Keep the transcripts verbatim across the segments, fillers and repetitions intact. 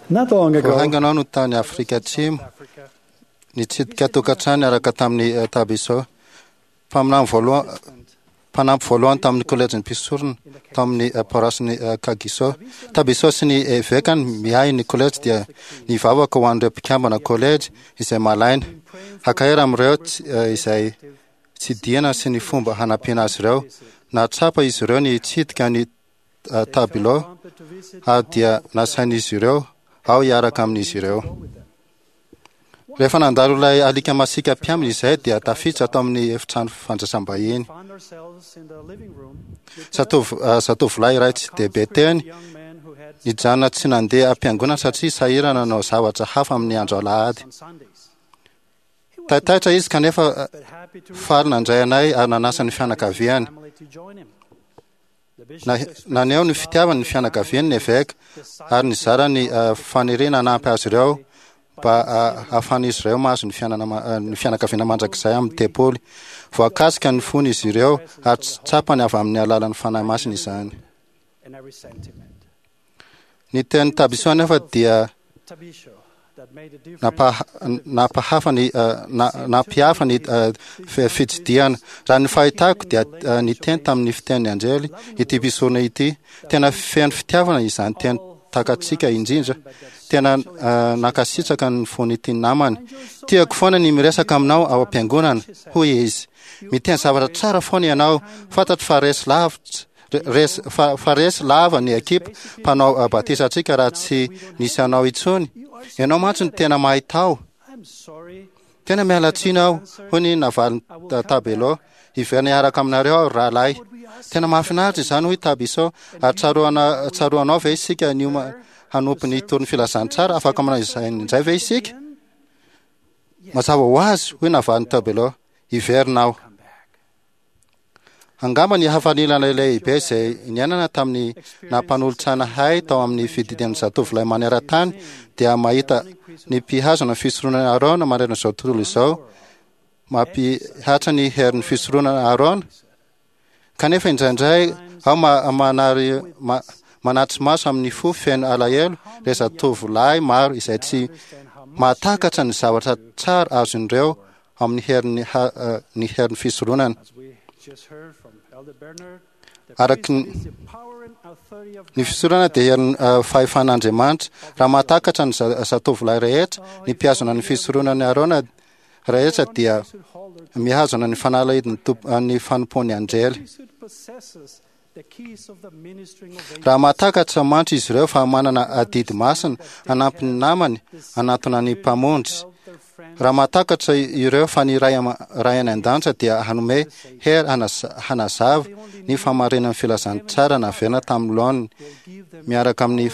Not long ago, Vao haingana aho no tany Afrika Atsimo, nitsidika tokantrano niaraka tamin'ny Tabiso, mpaminany voalohany, mpanampy voalohany tamin'ny kolejin'ny mpisorona tao amin'ny paroasin'i Kagiso. Tabiso sy ny evekany miahy ny kolejy dia nivavaka ho an'ireo mpikambana kolejy izay malaina, hankahery amin'ireo izay tsidihana sy ny fomba hanampiana azy ireo. Nahatsapa izy ireo ny hitsidika ny Tabilo ary dia nasain'izy ireo aho hiaraka amin'izy ireo. Rehefa nandalo ilay alika masiaka mpiambina izay dia tafiditra tao amin'ny efitrano fandraisam-bahiny. Zatovo, zatovolahy iray tsy dia be teny nijanona tsy nandeha am-piangonana satria sahirana nanao zavatra hafa amin'ny andro alahady. Taitaitra izy kanefa faly nandray anay ary nanasa ny fianakaviany. Naneho ny fitiavany ny fianakaviany ny eveka ary nizara ny faniriana hanampy azy ireo mba hahafahan'izy ireo mahazo ny fiainana ny fianakaviana mandrakizay amin'ny tempoly. Voakasika ny fony izy ireo ary tsapany avy amin'ny alalan'ny Fanahy Masina izany. Ny tenin'i Tabiso anefa dia nampahafa ny nampihafa ny fitsidihana. Raha ny fahitako dia niteny tamin'ny fitenin'ny anjely ity mpisorona ity. Tena feno fitiavana izany teny takatsika indrindra. Tena nankasitraka ny fon'ity namany. Tiako foana ny miresaka aminao ao am-piangonana, hoy izy. Miteny zavatra tsara foana ianao. Fantatro fa resy lavitra Resy, fa, fa resy lava ny ekipa mpanao batisa antsika raha tsy nisy anao intsony. Ianao mantsy no tena mahay tao. Tena miala tsiny aho, hoy ny navalin'i Tabelo. Hiverina hiaraka aminareo aho, ry rahalahy. Tena mahafinaritra izany, hoy Tabiso. Ary tsaroana, tsaroanao ve isika niomana hanompo ny hitory ny filazantsara? Afaka manao izay indray ve isika? Mazava ho azy, hoy navalin'i Tabelo. Hiverina aho. Angamba ny hafanilana lehibe izay niainana tamin'ny naha-mpanolotsaina ahy tao amin'ny fididian'ny zatovolahy maneran-tany dia mahita ny mpihazona ny fisoronana Arona manerana izao tontolo izao mampihatra ny herin'ny fisoronana Arona. Kanefa indraindray aho manary manatri-maso amin'ny fo feno alahelo ireo zatovolahy maro izay tsy mahatakatra ny zavatra tsara azon'ireo amin'ny herin'ny ny herin'ny fisoronana. Araka ny ny fisoronana dia herin'ny fahefan'Andriamanitra. Raha mahatakatra ny zatovolahy rehetra, ny mpihazona ny fisoronan'i Arona rehetra dia mihazona ny fanalahidin'ny ny fanompoan'ny anjely. Raha mahatakatra mantsy izy ireo fa manana adidy masina hanampy ny namany hanatona ny Mpamonjy, raha mahatakatra ireo fa ny Ray Ray any An-danitra dia hanome hery hanazava ny fahamarinan'ny filazantsara naverina tamin'ny laoniny miaraka amin'ny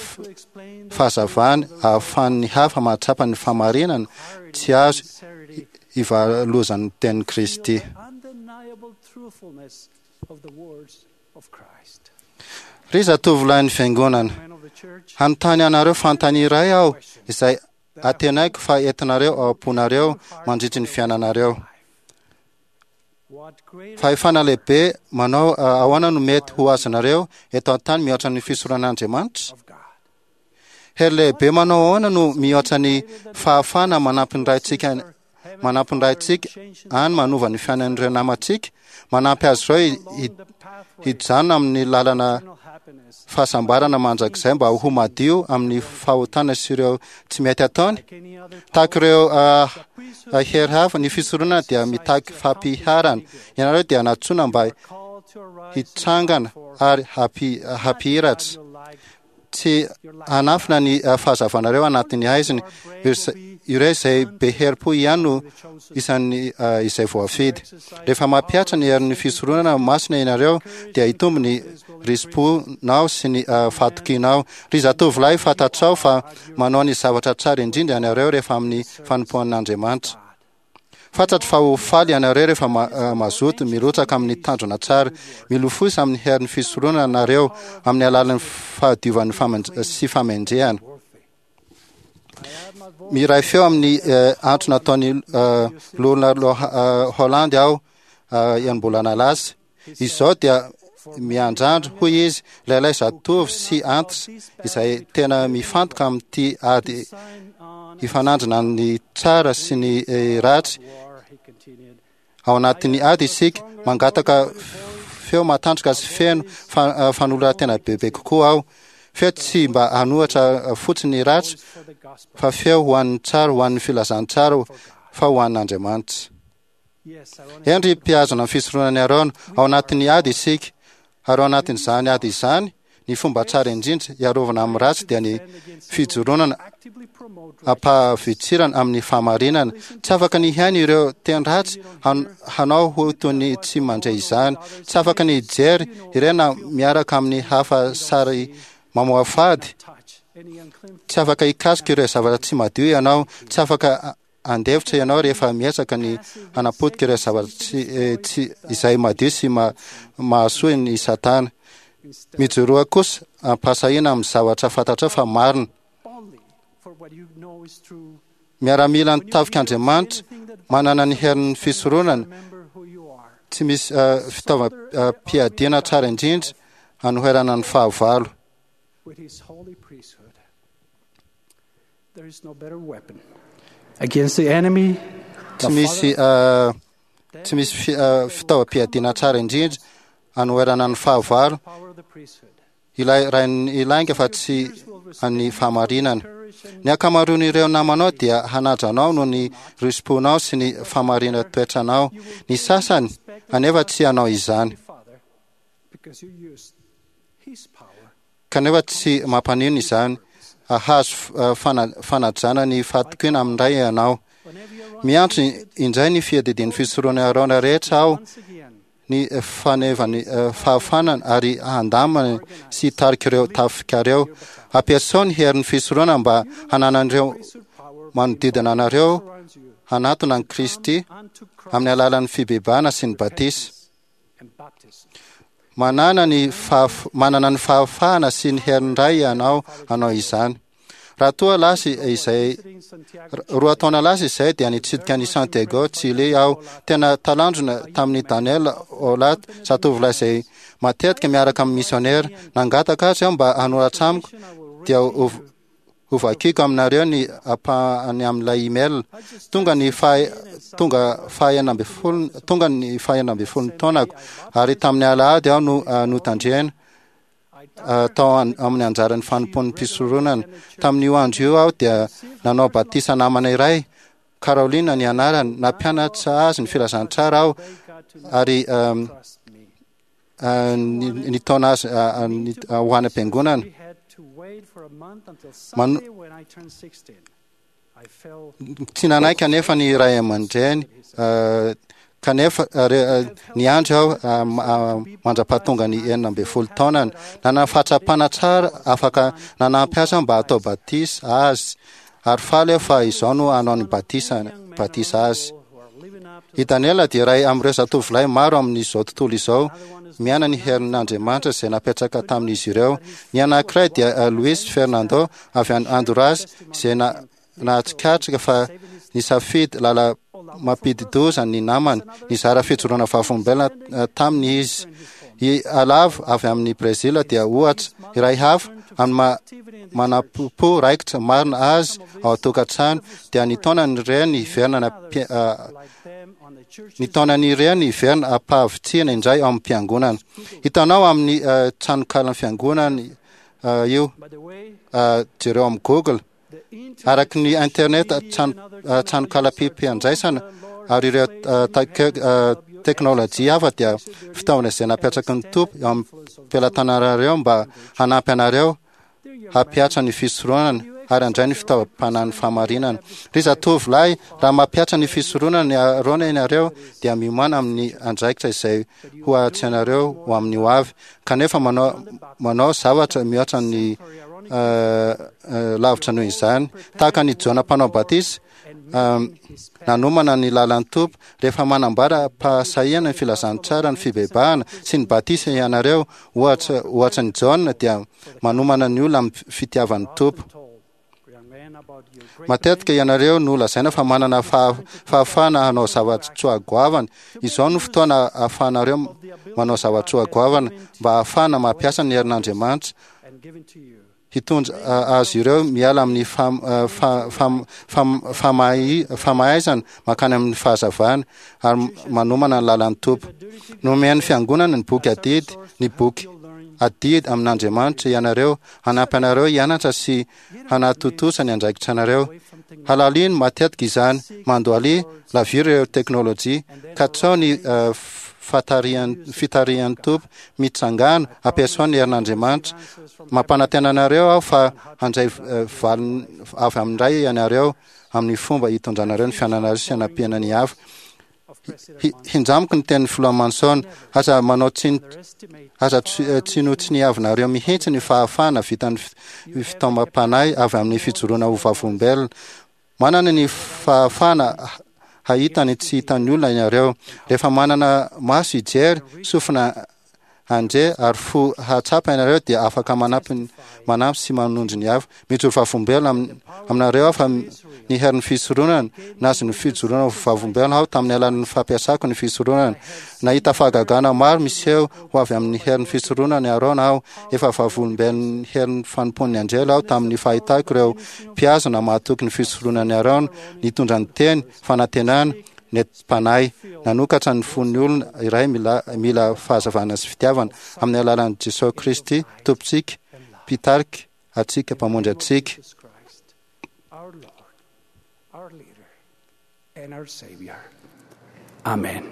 fahazavany ahafahan'ny hafa mahatsapa ny fahamarinana tsy azo ivalozan'ny tenin'i Kristy. Ry zatovolahin'ny Fiangonana, hanontany anareo fanontaniana iray aho izay antenaiko fa entinareo ao am-ponareo mandritry ny fiainanareo. Fahefana lehibe manao ahoana no mety ho azonareo eto an-tany mihoatra ny fisoronan'Andriamanitra? Hery lehibe manao ahoana no mihoatra ny fahafahana manampy ny Raintsika manampy ny Raintsika any manova ny fiainan'ireo namantsika, manampy azy ireo hijanona amin'ny lalana fahasambarana mandrakizay mba ho madio amin'ny fahotana sy ireo tsy mety ataony. Tahaka ireo uh, hery hafa, ny fisoronana dia mitaky fampiharana. Ianareo dia nantsoina mba hitsangana ary hampihiratra. Tsy hanafina ny fahazavanareo anatin'ny haizina. Ireo izay be herim-po ihany no isan'ny izay voafidy. Rehefa mampihatra ny herin'ny fisoronana masina ianareo, dia hitombo ny risi-ponao sy ny fahatokianao. Ry zatovolahy, fantatrao fa manao ny zavatra tsara indrindra ianareo rehefa amin'ny fanompoan'Andriamanitra. Fantatro fa ho faly ianareo rehefa mazoto mirotsaka amin'ny tanjona tsara. Milofosa amin'ny herin'ny fisoronana nareo amin'ny alalan'ny fahadiovan'ny sy famendrehana. Miray feo amin'ny antso nataon'ny Loholona Holland aho enim-bolana lasa. Izao dia miandrandro, hoy izy, lehilahy zatovo sy antitra izay tena mifantoka amin'ity ady hifanandrina ny tsara sy ny ratsy. Ao anatin'ny ady isika, mangataka feo matanjaka sy feno fanoloran-tena bebe kokoa aho. Feo tsy mba hanohitra fotsiny ny ratsy, fa feo ho an'ny tsara, ho an'ny filazantsara, fa ho an'Andriamanitra. Eny ry mpihazona ny fisoronan'i Arona, ao anatin'ny ady isika, ary ao anatin'izany ady izany, ny fomba tsara indrindra hiarovana amin'ny ratsy dia ny fijoronana ampahavitsirana amin'ny fahamarinana. Tsy afaka ny hihaino ireo teny ratsy hanao ho toy ny tsy mandre izany. Tsy afaka ny hijery ireo na miaraka amin'ny hafa sary mamoafady. Tsy afaka hikasika ireo zavatra tsy madio ianao. Tsy afaka andefitra ianao rehefa miezaka ny hanapotika ireo zavatra tsy, tsy izay madio sy ma, mahasoa ny Satana. Mijoroa kosa ampahasahiana amin'ny zavatra fantatrao fa marina. Miaramila ny tafik'Andriamanitra manana ny herin'ny fisoronana, tsy misy uh, fitaovam-piadiana tsara indrindra hanoherana ny fahavalo. There is no better weapon against the enemy. Tsy misy uh, tsy misy fi, uh, fitaovam-piadiana tsara indrindra hanoherana ny fahavalo, ilay rain'ny lainga fa tsy an'ny fahamarinana. Ny ankamaroan'ireo namanao dia hanaja anao noho ny risi-ponao sy ny fahamarinana toetranao. Ny sasany anefa tsy hanao izany, kanefa tsy mampanino izany. Hahazo fanajana ny fahatokiana amin'ny Ray ianao. Miantso indray ny fiadidian'ny fisoronan'i Arona rehetra aho, ny fanevany fahafanana ary handamana sy hitarika ireo tafikareo. Ampiasao ny herin'ny fisoronana mba hananan'ireo manodidina anareo hanatona an'i Kristy amin'ny alalan'ny fibebahana sy ny batisa. Manana ny fahaf-, manana ny fahafahana sy ny herin'ny Ray ianao hanao izany. Raha toa lasa izay roa taona lasa izay dia nitsidika an'i Santiago, Chile aho. Tena talanjona tamin'i Daniel Olat, zatovolahy izay matetika miaraka amin'ny misionera. Nangataka azy aho mba hanoratra amiko, dia ho hovakiko aminareo ny ampahany amin'ilay email. Tonga ny faha tonga faha enina ambin'ny folo tonga ny faha enina ambin'ny folo taonako, ary tamin'ny alahady aho no notandrena tao amin'ny anjaran'ny fanompoan'ny mpisoronana. Tamin'io andro io aho dia nanao batisa namana iray, Carolina ny anarany. Nampianatra azy ny filazantsara aho ary nitaona azy ho any am-piangonana. Man- Tsy nanaiky anefa ny ray aman-dreny, kanefa niandry aho mandra-pahatonga ny enina ambin'ny folo taonany. Nanana fahatsapana tsara afaka nanampy azy aho mba hatao batisa azy, ary faly aho fa izao no hanao ny batisa batisa azy. I Daniela dia iray amin'ireo zatovolahy maro amin'izao tontolo izao miaina ny herin'Andriamanitra izay napetraka tamin'izy ireo. Ny anankiray dia Luis Fernando avy any Honduras, izay nahatsikatrika fa nisafidy lala mampidi-doza ny namany. Nizara fijoroana vavolombelona taminy izy. I Alavo avy amin'ny Brezila dia ohatra iray hafa amin'ny maha manampo raikitra marina azy ao an-tokantrano, dia nitaona ny reny hiverina nitaona ny reny hiverina am-pahavitrihana indray ao amin'ny fiangonana. Hitanao amin'ny tranonkalan'ny fiangonana io, jereo amin'ny Google. Araka ny internet, tranonkalam-piandraisana ary ireo teknôlôjia hafa dia fitaovana izay napetraky ny Tompo eo amin'ny pelatananareo mba hanampy anareo hampihatra ny fisoronana ary handray ny fitaovam-panahin'ny fahamarinana. Ry zatovolahy, raha mampihatra ny fisoronana ny Arona ianareo dia miomàna amin'ny andraikitra izay ho ahatsinareo ho amin'ny hoavy, kanefa manao manao zavatra mihoatra ny lavitra noho izany. Tahaka an'i Jaona mpanao batisa, nanomana ny lalan'ny Tompo, rehefa manambara am-pahasahiana ny filazantsara ny fibebahana sy ny batisa ianareo, ohatra ohatra an'i Jaona dia manomana ny olona amin'ny fitiavan'ny Tompo. Matetika ianareo no lazaina fa manana fahafahana hanao zava-tsoa goavana. Izao no fotoana ahafahanareo manao zava-tsoa goavana mba ahafahana mampiasa ny herin'Andriamanitra hitondra azy ireo miala amin'ny famaizana mankany amin'ny fahazavana ary manomana ny lalan'ny Tompo. Nomen'ny fiangonana ny boky adidy, ny boky adidy amin'Andriamanitra ianareo, hanampy anareo hianatra sy hanatontosa ny andraikitra anareo. Halalino matetika izany, mandoalia, laviro ireo teknôlôjia, katsao ny fitarihan'ny Tompo, mitsangana, ampiasao ny herin'Andriamanitra. Mampanantena anareo aho fa handray valiny avy amin'ny Ray ianareo amin'ny fomba hitondranareo ny fiainanareo sy hanampiana ny hafa. Hinjamiko ny tenin'ny filoha Manson, aza manao tsiny, aza tsinotsiniavinareo mihitsy ny fahafahana vitan'ny fitaomam-panahy avy amin'ny fijoroana ho vavolombelona. Manana ny fahafahana hahita ny tsy hitan'ny olona ianareo. Rehefa manana maso hijery, sofina handre ary fo hahatsapa ianareo dia afaka manampy manampy sy manondro ny hafa. Mijoro vavolombelona aminareo aho fa ny herin'ny fisoronana, nahazo ny fijoroana ho vavolombelona aho tamin'ny alalan'ny fampiasako ny fisoronana. Nahita fahagagana maro miseho ho avy amin'ny herin'ny fisoronana Arona aho. Efa vavolombelon'ny herin'ny fanompoan'ny anjely aho tamin'ny fahitako ireo mpihazona mahatoky ny fisoronan'i Arona, nitondra ny teny fanantenana nentim-panahy, nanokatra ny fon'ny olona iray mila mila fahazavana sy fitiavana amin'ny alalan'i Jesosy Kristy Tompontsika, mpitarika antsika, mpamonjy antsika. Our Lord, our leader, and our Savior. Amen.